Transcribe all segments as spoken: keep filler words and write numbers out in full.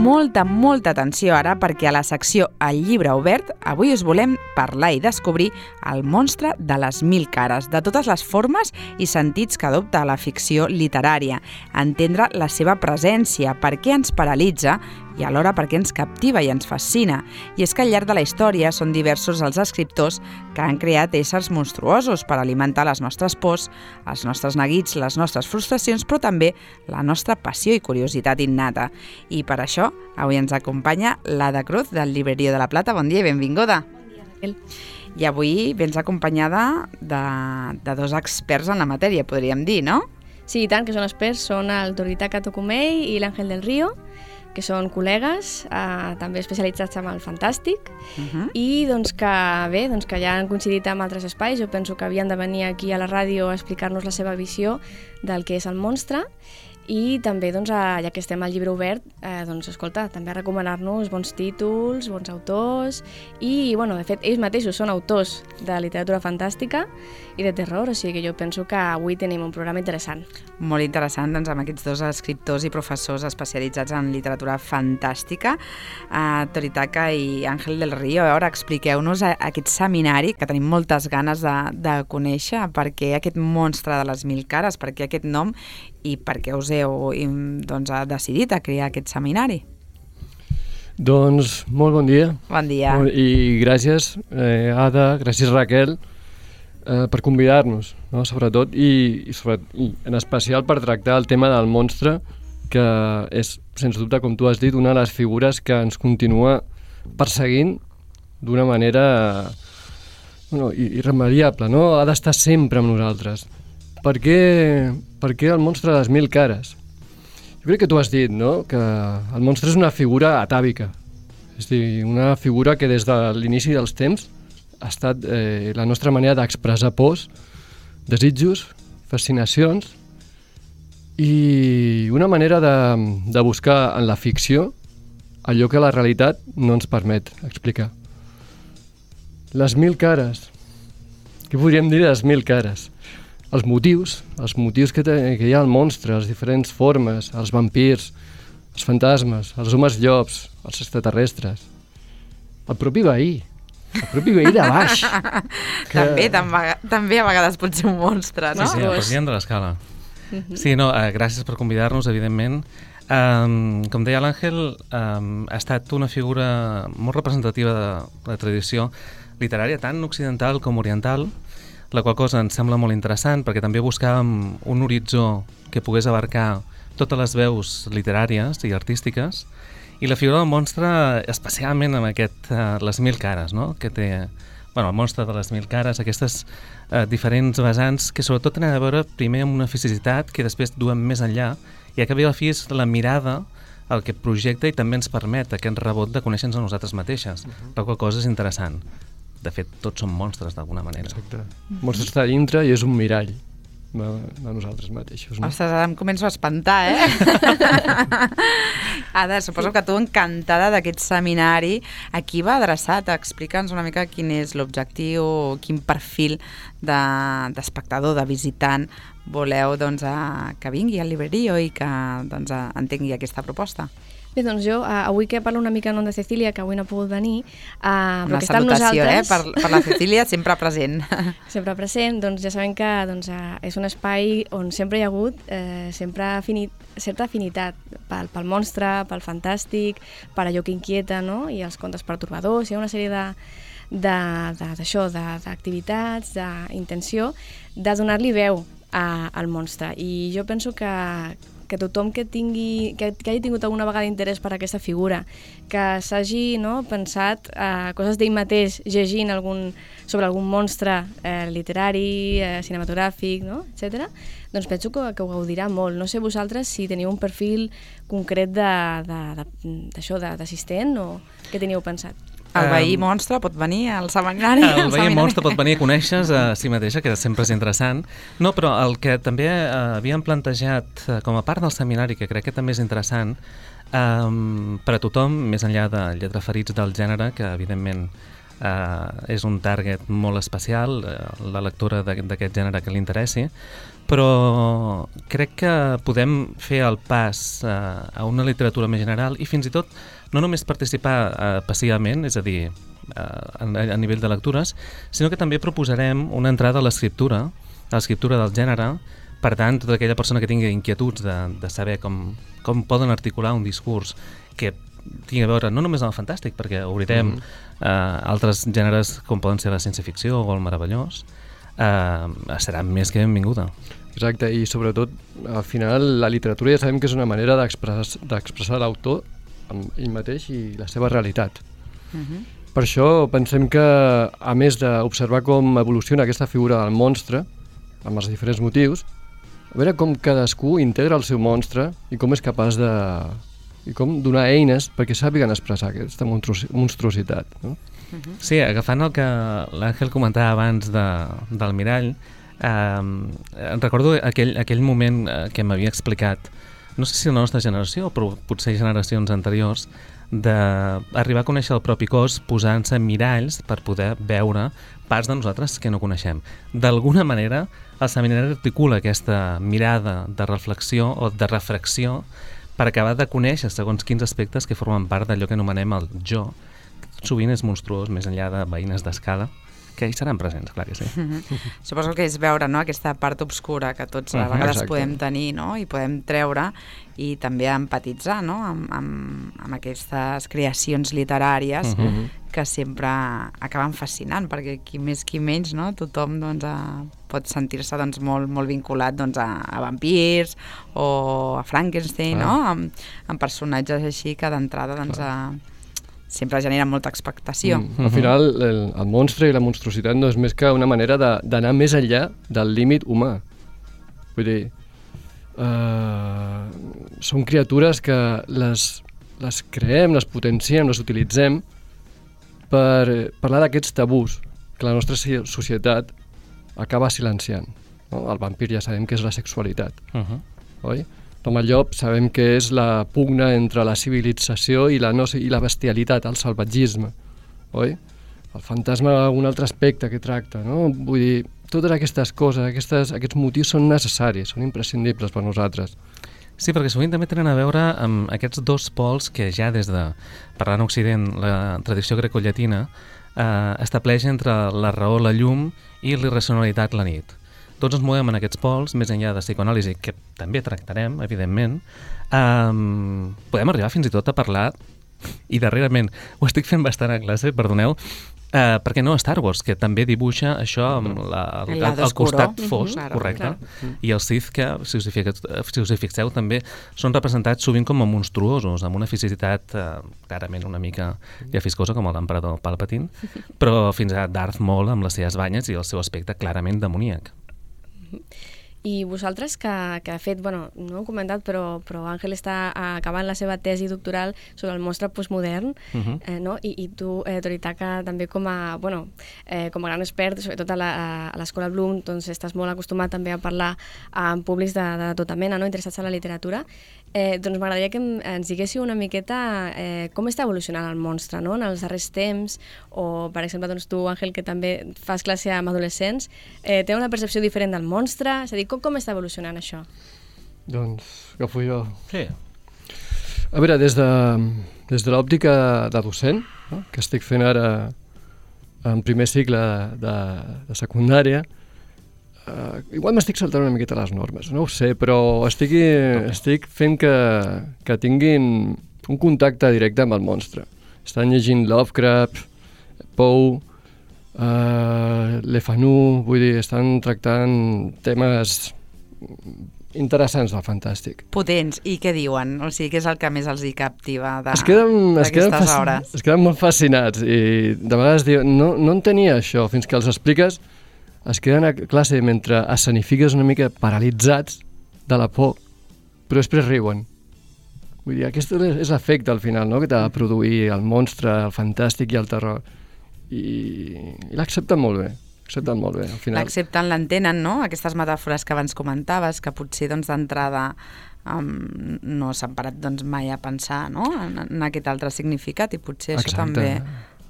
molta, molta atenció ara perquè a la secció El llibre obert avui us volem parlar i descobrir el monstre de les mil cares, de totes les formes i sentits que adopta la ficció literària, entendre la seva presència, per què ens paralitza i alhora perquè ens captiva i ens fascina. I és que al llarg de la història són diversos els escriptors que han creat éssers monstruosos per alimentar les nostres pors, els nostres neguits, les nostres frustracions, però també la nostra passió i curiositat innata. I per això avui ens acompanya l'Ada Cruz del Librerío de la Plata. Bon dia i benvinguda. Bon dia, Raquel. I avui vens acompanyada de, de dos experts en la matèria, podríem dir, no? Sí, i tant, que són experts. Són el Toritaka Tokumei i l'Àngel del Río, que són col·legues, eh, també especialitzats en el fantàstic, uh-huh. i doncs que, bé, doncs que ja han coincidit amb altres espais. Jo penso que havien de venir aquí a la ràdio a explicar-nos la seva visió del que és el monstre, i també, doncs, ja que estem al llibre obert, eh, doncs, escolta, també recomanar-nos bons títols, bons autors, i, bueno, de fet, ells mateixos són autors de literatura fantàstica i de terror, o sigui que jo penso que avui tenim un programa interessant. Molt interessant, doncs, amb aquests dos escriptors i professors especialitzats en literatura fantàstica, eh, Toritaka i Àngel del Río. A veure, expliqueu-nos aquest seminari que tenim moltes ganes de, de conèixer, per què aquest monstre de les mil cares, per què aquest nom i per què us heu doncs, decidit a crear aquest seminari. Doncs molt bon dia. Bon dia. I gràcies, eh, Ada, gràcies Raquel, eh, per convidar-nos, no? sobretot, i, i, sobretot, i en especial per tractar el tema del monstre, que és, sens dubte, com tu has dit, una de les figures que ens continua perseguint d'una manera bueno, irremediable, no? Ha d'estar sempre amb nosaltres. Per què, per què el monstre de les mil cares? Jo crec que tu has dit, no?, que el monstre és una figura atàvica. És a dir, una figura que des de l'inici dels temps ha estat eh, la nostra manera d'expressar pors, desitjos, fascinacions i una manera de, de buscar en la ficció allò que la realitat no ens permet explicar. Les mil cares. Què podríem dir de les mil cares? Els motius, els motius que, te, que hi ha al monstre, les diferents formes, els vampirs, els fantasmes, els homes llops, els extraterrestres, el propi veí, el propi veí de baix. Que... també, també, també a vegades pot ser un monstre, no? Sí, sí, el president de l'escala. Sí, no, eh, gràcies per convidar-nos, evidentment. Um, com deia l'Àngel, um, ha estat una figura molt representativa de la tradició literària, tant occidental com oriental, la qual cosa ens sembla molt interessant perquè també buscàvem un horitzó que pogués abarcar totes les veus literàries i artístiques, i la figura del monstre especialment amb aquest, uh, les mil cares, no? Que té, bueno, el monstre de les mil cares, aquestes uh, diferents vessants que sobretot tenen a veure primer amb una fisicitat que després duem més enllà, i a canvi a la fi és la mirada el que projecta i també ens permet aquest rebot de conèixer-nos a nosaltres mateixes, uh-huh. la qual cosa és interessant. De fet, tots som monstres d'alguna manera. Exacte. El monstre està dintre i és un mirall de, de nosaltres mateixos. No? Ostres, ara em començo a espantar, eh? Ada, suposo que tu encantada d'aquest seminari. A qui va adreçat? Explica'ns una mica quin és l'objectiu, quin perfil de, d'espectador, de visitant voleu doncs, a, que vingui al Librerío i que doncs, a, entengui aquesta proposta. Bé, doncs jo, uh, avui que parlo una mica en nom de Cecília, que avui no ha pogut venir, uh, una salutació, eh, per, per la Cecília, sempre present. Sempre present, doncs ja sabem que doncs, uh, és un espai on sempre hi ha hagut uh, sempre afini certa afinitat pel, pel monstre, pel fantàstic, per allò que inquieta, no? I els contes pertorbadors, hi ha una sèrie de d'això, d'activitats, d'intenció, de donar-li veu a, al monstre. I jo penso que que tothom que, tingui, que, que hagi tingut alguna vegada interès per aquesta figura, que s'hagi no, pensat eh, coses d'ell mateix llegint algun, sobre algun monstre eh, literari, eh, cinematogràfic, no? etcètera, doncs penso que, que ho gaudirà molt. No sé vosaltres si teniu un perfil concret d'això, d'assistent, o què teníeu pensat? El veí monstre pot venir al seminari? El veí monstre pot venir a conèixer a si mateixa, que sempre és interessant. No, però el que també eh, havíem plantejat eh, com a part del seminari, que crec que també és interessant, eh, per a tothom, més enllà de lletraferits del gènere, que evidentment uh, és un target molt especial, uh, la lectura d'aquest gènere que li interessi, però crec que podem fer el pas uh, a una literatura més general i fins i tot no només participar uh, passivament, és a dir, uh, a, a nivell de lectures, sinó que també proposarem una entrada a l'escriptura, a l'escriptura del gènere. Per tant, tota aquella persona que tingui inquietuds de, de saber com, com poden articular un discurs que tingui a veure no només amb el fantàstic, perquè obrirem mm. uh, altres gèneres com poden ser la ciència-ficció o el meravellós, uh, serà més que benvinguda. Exacte, i sobretot, al final, la literatura ja sabem que és una manera d'expressar d'expressar l'autor amb ell mateix i la seva realitat. Mm-hmm. Per això pensem que, a més d'observar com evoluciona aquesta figura del monstre, amb els diferents motius, a veure com cadascú integra el seu monstre i com és capaç de... i com donar eines perquè sàpiguen expressar aquesta monstruositat. No? Uh-huh. Sí, agafant el que l'Àngel comentava abans de, del mirall, eh, recordo aquell, aquell moment que m'havia explicat, no sé si la nostra generació, però potser generacions anteriors, d'arribar a conèixer el propi cos posant-se miralls per poder veure parts de nosaltres que no coneixem. D'alguna manera, el seminari articula aquesta mirada de reflexió o de refracció per acabar de conèixer segons quins aspectes que formen part d'allò que anomenem el jo, que sovint és monstruós, més enllà de veïnes d'escala, que hi seran presents, clar que sí. Mm-hmm. Suposo que és veure, no?, aquesta part obscura que tots a vegades Exacte. podem tenir, no?, i podem treure, i també empatitzar, no?, amb, amb, amb aquestes creacions literàries uh-huh. que sempre acaben fascinant, perquè qui més qui menys, no?, tothom doncs, a, pot sentir-se doncs, molt, molt vinculat doncs, a, a vampirs o a Frankenstein, ah. no?, amb, amb personatges així que d'entrada doncs, a sempre genera molta expectació. Mm. Al final, el, el monstre i la monstruositat no és més que una manera d'anar més enllà del límit humà. Vull dir, uh, són criatures que les, les creem, les potenciem, les utilitzem per parlar d'aquests tabús que la nostra societat acaba silenciant. No? El vampir ja sabem que és la sexualitat, uh-huh. oi? Com el llop sabem que és la pugna entre la civilització i la, no, i la bestialitat, el salvatgisme, oi? El fantasma, un altre aspecte que tracta, no? Vull dir, totes aquestes coses, aquestes, aquests motius són necessaris, són imprescindibles per nosaltres. Sí, perquè sovint també tenen a veure amb aquests dos pols que ja des de, parlant a Occident, la tradició grecollatina, eh, estableix entre la raó, la llum i l'irracionalitat, la nit. Tots ens movem en aquests pols, més enllà de psicoanàlisi, que també tractarem, evidentment. Um, podem arribar fins i tot a parlar, i darrerament ho estic fent bastant a classe, perdoneu, uh, perquè no a Star Wars, que també dibuixa això amb la, el, el, el costat fosc, mm-hmm, correcte, clar. I els Sith, que, si us, fixeu, si us hi fixeu, també són representats sovint com a monstruosos, amb una fisicitat uh, clarament una mica llafiscosa, com l'emperador Palpatine, però fins a Darth Maul amb les seves banyes i el seu aspecte clarament demoníac. I vosaltres que, que de fet, bueno, no ho he comentat, però, però Àngel està acabant la seva tesi doctoral sobre el monstre postmodern, uh-huh. eh, no? I, i tu, eh, Toritaka, també com a, bueno, eh, com a gran expert, sobretot a l'Escola Bloom, doncs estàs molt acostumat també a parlar amb públics de, de tota mena, no?, interessats en la literatura. Eh, doncs m'agradaria que ens diguéssiu una miqueta eh, com està evolucionant el monstre, no?, en els darrers temps, o, per exemple, doncs tu, Àngel, que també fas classe amb adolescents, eh, té una percepció diferent del monstre, és a dir, com, com està evolucionant això? Doncs, agafo jo. Sí. A veure, des de, des de l'òptica de docent, no?, que estic fent ara en primer cicle de, de, de secundària, Uh, igual m'estic saltant una miqueta les normes, no ho sé, però estic, estic fent que, que tinguin un contacte directe amb el monstre. Estan llegint Lovecraft, Poe, uh, Le Fanu, vull dir, estan tractant temes interessants del fantàstic. Potents, i què diuen? O sigui, què és el que més els hi captiva d'aquestes hores? Es queden molt fascinats i de vegades diuen, no, no entenia això, fins que els expliques es queden a classe mentre escenifiques una mica paralitzats de la por, però després riuen. Vull dir, aquest és l'efecte al final, no?, que t'ha de produir el monstre, el fantàstic i el terror. I, i l'accepten molt bé, l'accepten molt bé, al final. L'accepten, l'entenen, no?, aquestes metàfores que abans comentaves, que potser doncs, d'entrada um, no s'han parat doncs, mai a pensar, no?, en, en aquest altre significat, i potser Exacte. Això també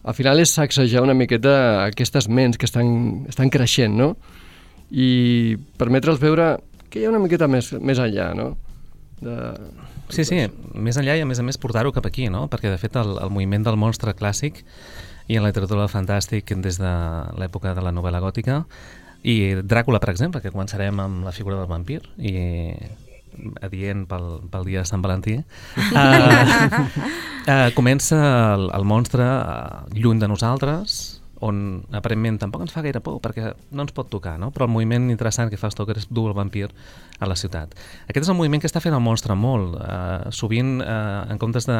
al final és sacsejar una miqueta aquestes ments que estan, estan creixent, no? I permetre'ls veure que hi ha una miqueta més, més enllà, no? De... Sí, sí, més enllà i a més a més portar-ho cap aquí, no? Perquè de fet el, el moviment del monstre clàssic i en la literatura del fantàstic des de l'època de la novel·la gòtica i Dràcula, per exemple, que començarem amb la figura del vampir i adient pel, pel dia de Sant Valentí, uh, uh, comença el, el monstre uh, lluny de nosaltres, on aparentment tampoc ens fa gaire por perquè no ens pot tocar, no? Però el moviment interessant que fa Stoker és dur el vampir a la ciutat. Aquest és el moviment que està fent el monstre molt. Uh, sovint, uh, en comptes de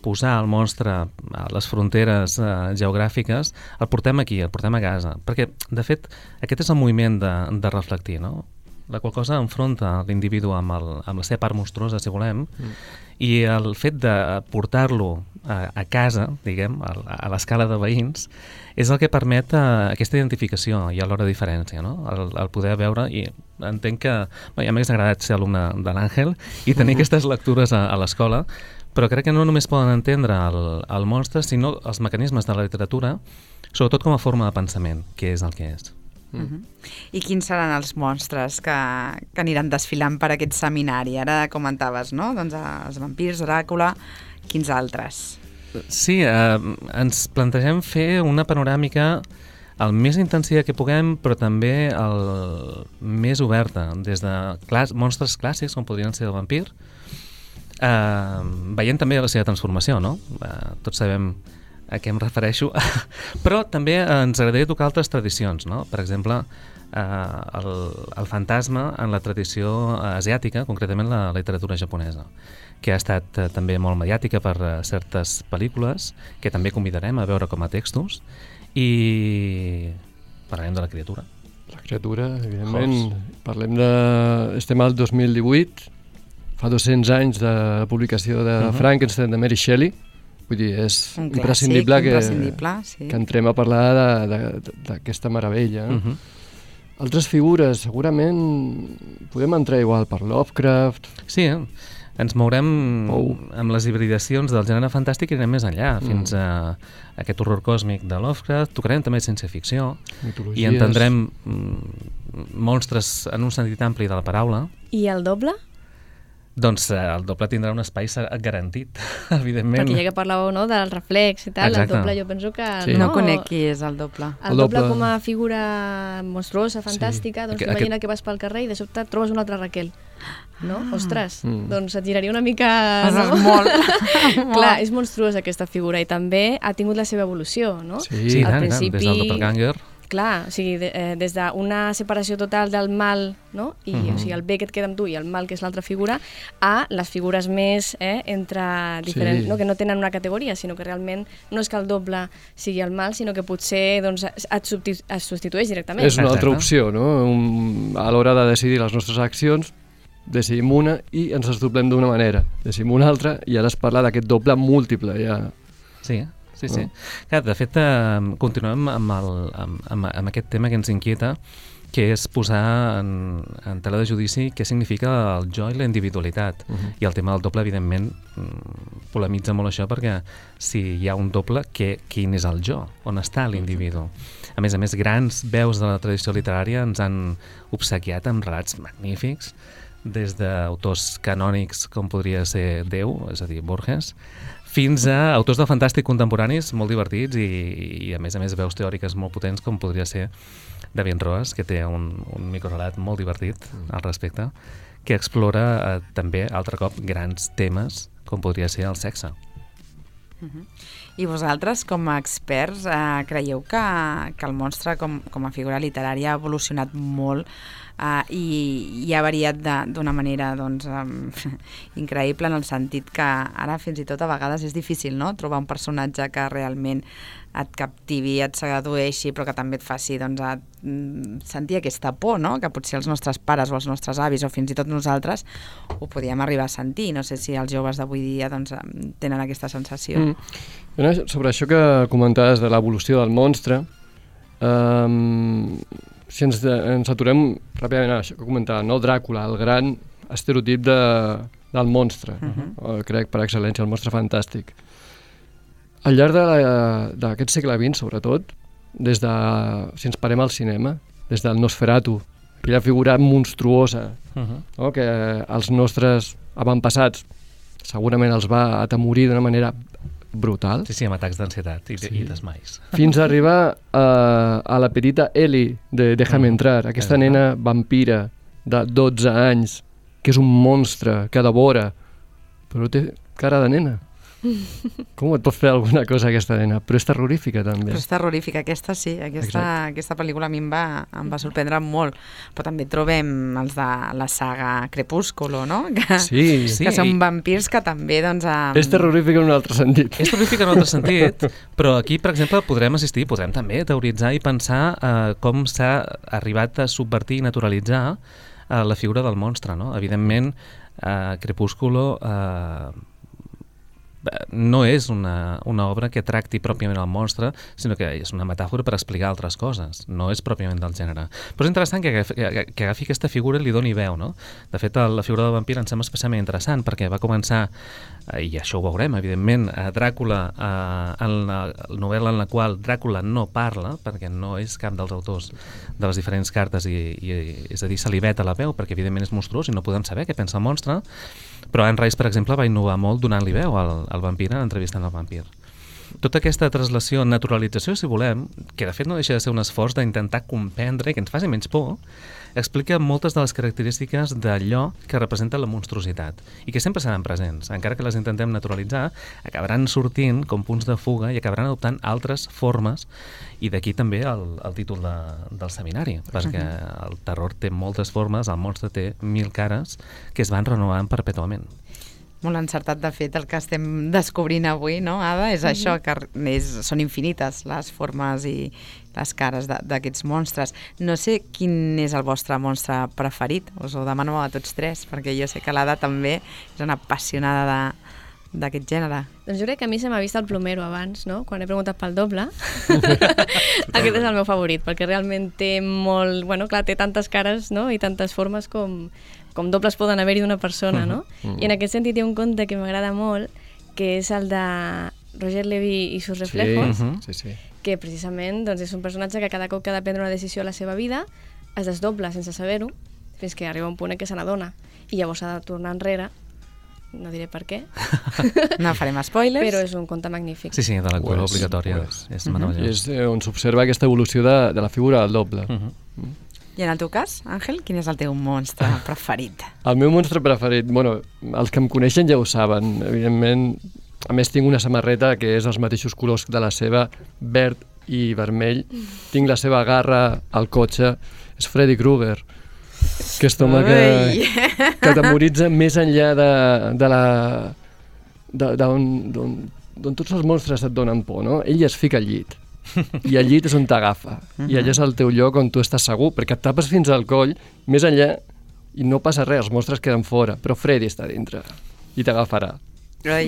posar el monstre a les fronteres uh, geogràfiques, el portem aquí, el portem a casa. Perquè, de fet, aquest és el moviment de, de reflectir, no? La qual cosa enfronta l'individu amb, el, amb la seva part monstruosa, si volem, mm. i el fet de portar-lo a, a casa, diguem, a, a l'escala de veïns, és el que permet uh, aquesta identificació i alhora diferència, no? El, el poder veure, i entenc que bé, ja m'hagués agradat ser alumne de l'Àngel i tenir aquestes lectures a, a l'escola, però crec que no només poden entendre el, el monstre, sinó els mecanismes de la literatura, sobretot com a forma de pensament, que és el que és. Mm. Uh-huh. I quins seran els monstres que, que aniran desfilant per aquest seminari? Ara comentaves, no? Doncs els vampirs, Dràcula, quins altres? Sí, eh, ens plantegem fer una panoràmica el més intensiva que puguem, però també el més oberta, des de clàs, monstres clàssics, com podrien ser el vampir, eh, veient també la seva transformació, no? Eh, tots sabem a què em refereixo, però també ens agradaria tocar altres tradicions, no? Per exemple, eh, el, el fantasma en la tradició asiàtica, concretament la literatura japonesa, que ha estat eh, també molt mediàtica per eh, certes pel·lícules, que també convidarem a veure com a textos, i parlarem de la criatura. La criatura, evidentment, Host. parlem de... Estem al dos mil divuit, fa dos-cents anys de publicació de uh-huh. Frankenstein de Mary Shelley. Vull dir, és un clàssic, imprescindible, que, imprescindible sí. que entrem a parlar d'aquesta meravella. Uh-huh. Altres figures, segurament podem entrar igual per Lovecraft. Sí, eh? Ens mourem oh. amb les hibridacions del gènere fantàstic i anem més enllà, mm. fins a aquest horror còsmic de Lovecraft. Tocarem també ciència-ficció i entendrem mm, monstres en un sentit ampli de la paraula. I el doble? Doncs eh, el doble tindrà un espai garantit, evidentment. Perquè ja que parlàveu, no, del reflex i tal, Exacte. El doble jo penso que... Sí. No, no conec qui és el doble. El, el doble, doble com a figura monstruosa, fantàstica, sí. doncs Aqu imagina aquest... que vas pel carrer i de sobte trobes una altra Raquel. No? Ah. Ostres, mm. doncs et giraria una mica... No? Molt. Clar, és monstruosa aquesta figura i també ha tingut la seva evolució, no? Sí, sí al tant, principi... des del doppelganger. Clar, o sigui, de, eh, des d'una separació total del mal, no? I, uh-huh. o sigui, el bé que et queda amb tu i el mal, que és l'altra figura, a les figures més eh, entre diferents, sí. no? Que no tenen una categoria, sinó que realment no és que el doble sigui el mal, sinó que potser doncs, et, substitu et substitueix directament. És una altra opció, no? Un, a l'hora de decidir les nostres accions, decidim una i ens desdoblem d'una manera, decidim una altra i ara es parla d'aquest doble múltiple. Ja. Sí, Sí, sí. No? Clar, de fet, eh, continuem amb, el, amb, amb, amb aquest tema que ens inquieta, que és posar en, en tela de judici què significa el jo i la individualitat. Uh-huh. I el tema del doble, evidentment, polemitza molt això, perquè si hi ha un doble, què, quin és el jo? On està l'individu? A més a més, grans veus de la tradició literària ens han obsequiat amb relats magnífics, des d'autors canònics com podria ser Déu, és a dir, Borges, fins a autors de fantàstic contemporanis molt divertits i, i a més a més veus teòriques molt potents com podria ser David Roas, que té un, un microrelat molt divertit al respecte, que explora eh, també, altre cop, grans temes com podria ser el sexe. Uh-huh. I vosaltres, com a experts, eh, creieu que, que el monstre com, com a figura literària ha evolucionat molt Uh, i, i ha variat d'una manera doncs, um, increïble, en el sentit que ara fins i tot a vegades és difícil, no?, trobar un personatge que realment et captivi, et sedueixi, però que també et faci doncs, a, mm, sentir aquesta por, no?, que potser els nostres pares o els nostres avis o fins i tot nosaltres ho podíem arribar a sentir. No sé si els joves d'avui dia doncs, tenen aquesta sensació. Mm. Sobre això que comentaves de l'evolució del monstre, um, si ens, de, ens aturem ràpidament a això que comentava, no? Dràcula, el gran estereotip de, del monstre, uh-huh. crec per excel·lència, el monstre fantàstic. Al llarg d'aquest segle vint, sobretot, des de, si ens parem al cinema, des del Nosferatu, aquella figura monstruosa, uh-huh. no? que els nostres avantpassats segurament els va atemorir d'una manera brutal. Sí, sí, amb atacs d'ansietat i, sí. i desmais. Fins a arribar a, a la petita Ellie de Déjame entrar, aquesta uh-huh. nena vampira de dotze anys, que és un monstre que devora, però té cara de nena. Com et pot fer alguna cosa aquesta nena? Però és terrorífica també. Però és terrorífica, aquesta sí, aquesta, aquesta pel·lícula a mi em va, em va sorprendre molt, però també trobem els de la saga Crepúsculo, no? Que, sí, sí. que són vampirs que també doncs... Amb... És terrorífica en un altre sentit. És terrorífica en un altre sentit, però aquí, per exemple, podrem assistir, podrem també teoritzar i pensar eh, com s'ha arribat a subvertir i naturalitzar eh, la figura del monstre, no? Evidentment, eh, Crepúsculo... Eh, no és una, una obra que tracti pròpiament el monstre, sinó que és una metàfora per explicar altres coses, no és pròpiament del gènere. Però és interessant que, que, que agafi aquesta figura i li doni veu, no? De fet, la figura del vampir em sembla especialment interessant, perquè va començar, i això ho veurem, evidentment, a Dràcula, en la novel·la en la qual Dràcula no parla, perquè no és cap dels autors de les diferents cartes, i, i és a dir, se li veta la veu, perquè evidentment és monstruós i no podem saber què pensa el monstre, però Anne Rice, per exemple, va innovar molt donant-li veu al, al vampir, entrevistant el vampir. Tota aquesta translació, naturalització, si volem, que de fet no deixa de ser un esforç d'intentar comprendre, que ens faci menys por, explica moltes de les característiques d'allò que representa la monstruositat i que sempre seran presents. Encara que les intentem naturalitzar, acabaran sortint com punts de fuga i acabaran adoptant altres formes, i d'aquí també el, el títol de, del seminari, perquè el terror té moltes formes, el monstre té mil cares que es van renovant perpètuament. Molt encertat, de fet, el que estem descobrint avui, no, Ada? És mm-hmm. això, que és, són infinites les formes i les cares d'aquests monstres. No sé quin és el vostre monstre preferit, us ho demano a tots tres, perquè jo sé que l'Ada també és una apassionada de d'aquest gènere. Doncs jo crec que a mi se m'ha vist el plomero abans, no? Quan he preguntat pel doble. Aquest és el meu favorit, perquè realment té molt... Bueno, clar, té tantes cares, no? I tantes formes com, com dobles poden haver-hi d'una persona, no? Uh-huh. I en aquest sentit hi ha un conte que m'agrada molt, que és el de Roger Levy i sus reflejos, sí, uh-huh. sí, sí. que precisament doncs, és un personatge que cada cop que ha de prendre una decisió a la seva vida es desdobla sense saber-ho, fins que arriba un punt en què se n'adona. I llavors s'ha de tornar enrere. No diré per què. No farem spoilers. Però és un conte magnífic. Sí, sí, de lectura pues, obligatòria. Pues. És meravellós. És on s'observa aquesta evolució de, de la figura del doble. Uh-huh. Mm. I en el teu cas, Àngel, quin és el teu monstre preferit? El meu monstre preferit, bueno, els que em coneixen ja ho saben, evidentment. A més, tinc una samarreta que és els mateixos colors de la seva, verd i vermell. Tinc la seva garra al cotxe, és Freddy Krueger. Aquest home que, que t'amoritza més enllà de, de la d'on tots els monstres et donen por, no? Ell es fica al llit i al llit és on t'agafa uh-huh. i allà és el teu lloc on tu estàs segur, perquè et tapes fins al coll, més enllà, i no passa res, els monstres queden fora, però Freddy està dintre i t'agafarà. Ai,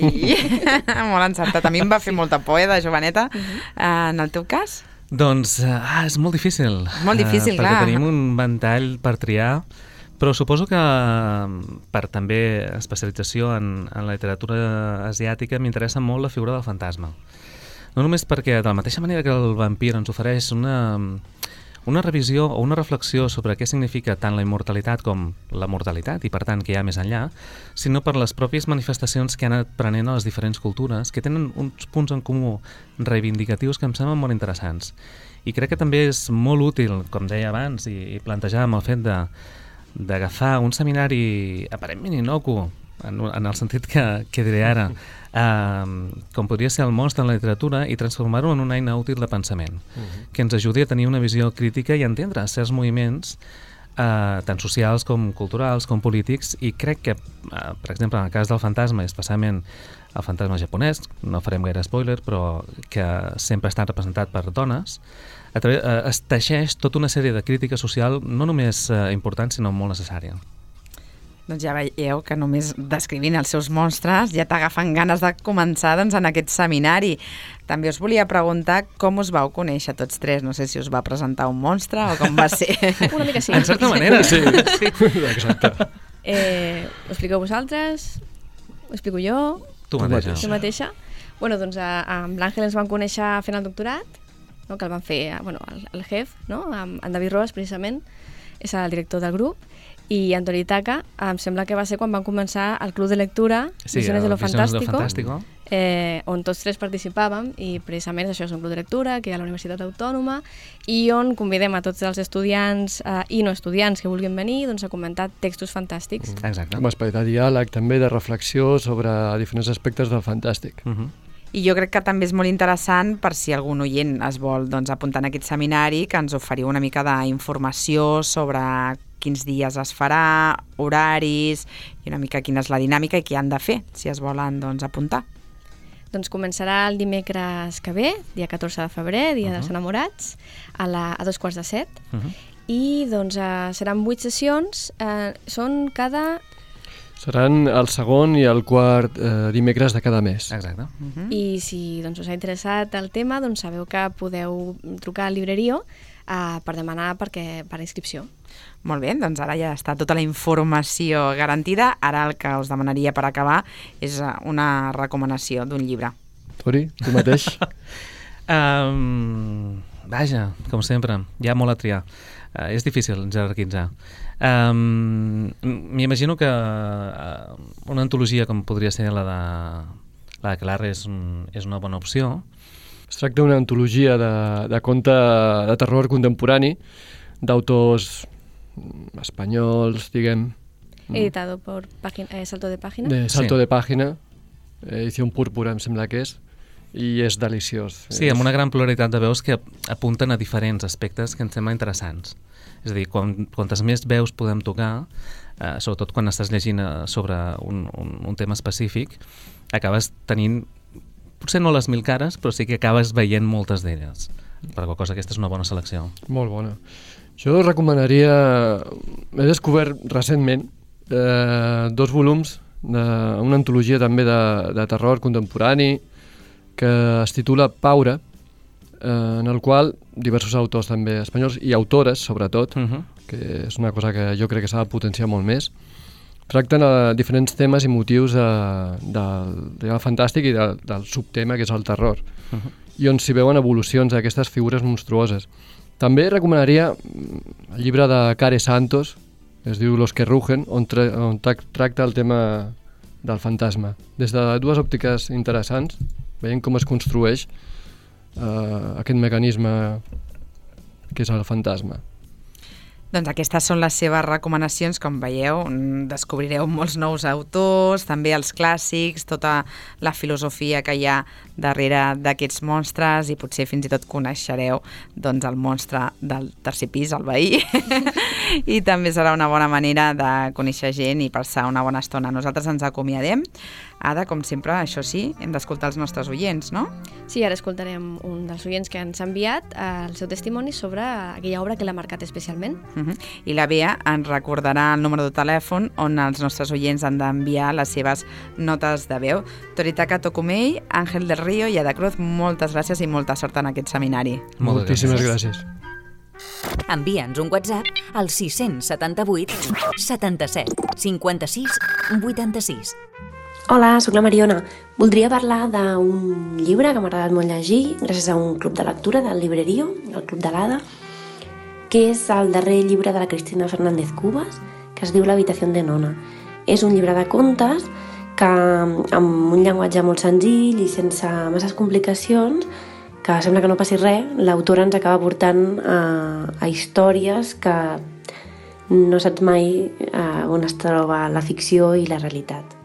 molt encertat. A mi em va fer molta por, eh, de joveneta. Uh-huh. En el teu cas? Doncs ah, és molt difícil. Molt difícil, uh, clar. Perquè tenim un ventall per triar, però suposo que per també especialització en, en la literatura asiàtica m'interessa molt la figura del fantasma. No només perquè, de la mateixa manera que el vampir ens ofereix una, una revisió o una reflexió sobre què significa tant la immortalitat com la mortalitat, i per tant què hi ha més enllà, sinó per les pròpies manifestacions que han anat prenent a les diferents cultures, que tenen uns punts en comú reivindicatius que em semblen molt interessants. I crec que també és molt útil, com deia abans, i, i plantejàvem el fet de d'agafar un seminari aparentment inocu, en, en el sentit que, que diré ara, eh, com podria ser el monstre en la literatura, i transformar-ho en una eina útil de pensament, uh-huh. que ens ajudi a tenir una visió crítica i a entendre certs moviments, eh, tant socials com culturals com polítics, i crec que, eh, per exemple, en el cas del fantasma, especialment el fantasma japonès, no farem gaire spoiler, però que sempre ha estat representat per dones, a través, eh, es teixeix tota una sèrie de crítica social no només eh, important, sinó molt necessària. Doncs ja veieu que només descrivint els seus monstres ja t'agafen ganes de començar doncs, en aquest seminari. També us volia preguntar com us vau conèixer tots tres. No sé si us va presentar un monstre o com va ser. Una mica sí. En certa manera, sí. sí. Exacte. Eh, ho expliqueu vosaltres? Ho explico jo? Tu mateixa. Tu mateixa? Bueno, doncs a, amb l'Àngel ens vam conèixer fent el doctorat, no? Que el van fer bueno, el, el J E F, no? Amb en David Roas, precisament, és el director del grup, i Antoni Taca, em sembla que va ser quan van començar el Club de Lectura, sí, Visiones de lo Visiones Fantástico, de lo Fantástico. Eh, on tots tres participàvem, i precisament això és un club de lectura que hi ha a la Universitat Autònoma i on convidem a tots els estudiants eh, i no estudiants que vulguin venir doncs, a comentar textos fantàstics. Mm. Exacte. Un espai de diàleg, també de reflexió sobre diferents aspectes del fantàstic. Uh -huh. I jo crec que també és molt interessant per si algun oient es vol doncs, apuntar en aquest seminari, que ens oferiu una mica d'informació sobre quins dies es farà, horaris i una mica quina és la dinàmica i què han de fer si es volen doncs, apuntar. Doncs començarà el dimecres que ve, dia catorze de febrer, dia uh -huh. dels enamorats, a, la, a dos quarts de set. Uh -huh. I doncs uh, seran vuit sessions, uh, són cada... Seran el segon i el quart eh, dimecres de cada mes. Exacte. Uh -huh. I si doncs, us ha interessat el tema, doncs sabeu que podeu trucar al Librerio uh, per demanar perquè, per inscripció. Molt bé, doncs ara ja està tota la informació garantida. Ara el que us demanaria per acabar és una recomanació d'un llibre. Tori, tu mateix? um, vaja, com sempre, hi ha molt a triar. Uh, és difícil jerarquitzar. Um, M'imagino que uh, una antologia com podria ser la de la de Clarre és, un, és una bona opció. Es tracta d'una antologia de, de conte de terror contemporani d'autors espanyols, diguem. Editado por página, eh, Salto de Pàgina. De Salto sí. de Pàgina, edició púrpura, em sembla que és, i és deliciós. Sí, amb una gran pluralitat de veus que apunten a diferents aspectes que em semblen interessants. És a dir, quan, quantes més veus podem tocar, eh, sobretot quan estàs llegint sobre un, un, un tema específic, acabes tenint, potser no les mil cares, però sí que acabes veient moltes d'elles. Per qual cosa, aquesta és una bona selecció. Molt bona. Jo recomanaria... He descobert recentment eh, dos volums d'una antologia també de, de terror contemporani que es titula Paura, eh, en el qual diversos autors també espanyols i autores, sobretot, uh -huh. que és una cosa que jo crec que s'ha de potenciar molt més, tracten a diferents temes i motius de, del, del fantàstic i de, del subtema que és el terror, uh -huh. i on s'hi veuen evolucions d'aquestes figures monstruoses. També recomanaria el llibre de Care Santos, que es diu Los que rugen, on, tra on tracta el tema del fantasma. Des de dues òptiques interessants, veient com es construeix eh, aquest mecanisme que és el fantasma. Doncs aquestes són les seves recomanacions, com veieu, descobrireu molts nous autors, també els clàssics, tota la filosofia que hi ha darrere d'aquests monstres i potser fins i tot coneixereu doncs, el monstre del tercer pis, el veí, i també serà una bona manera de conèixer gent i passar una bona estona. Nosaltres ens acomiadem. Ada, com sempre, això sí, hem d'escoltar els nostres oients, no? Sí, ara escoltarem un dels oients que ens ha enviat el seu testimoni sobre aquella obra que l'ha marcat especialment. Uh-huh. I la Bea ens recordarà el número de telèfon on els nostres oients han d'enviar les seves notes de veu. Toritaka Tokumei, Àngel del Río i Ada Cruz, moltes gràcies i molta sort en aquest seminari. Moltíssimes gràcies. Envia'ns un WhatsApp al sis setanta vuit setanta-set cinquanta-sis vuitanta-sis. Hola, sóc la Mariona. Voldria parlar d'un llibre que m'ha agradat molt llegir gràcies a un club de lectura del Librerio, el Club de l'Ada, que és el darrer llibre de la Cristina Fernández Cubas, que es diu L'habitació de Nona. És un llibre de contes que, amb un llenguatge molt senzill i sense masses complicacions, que sembla que no passi res, l'autora ens acaba portant a, a històries que no saps mai on es troba la ficció i la realitat.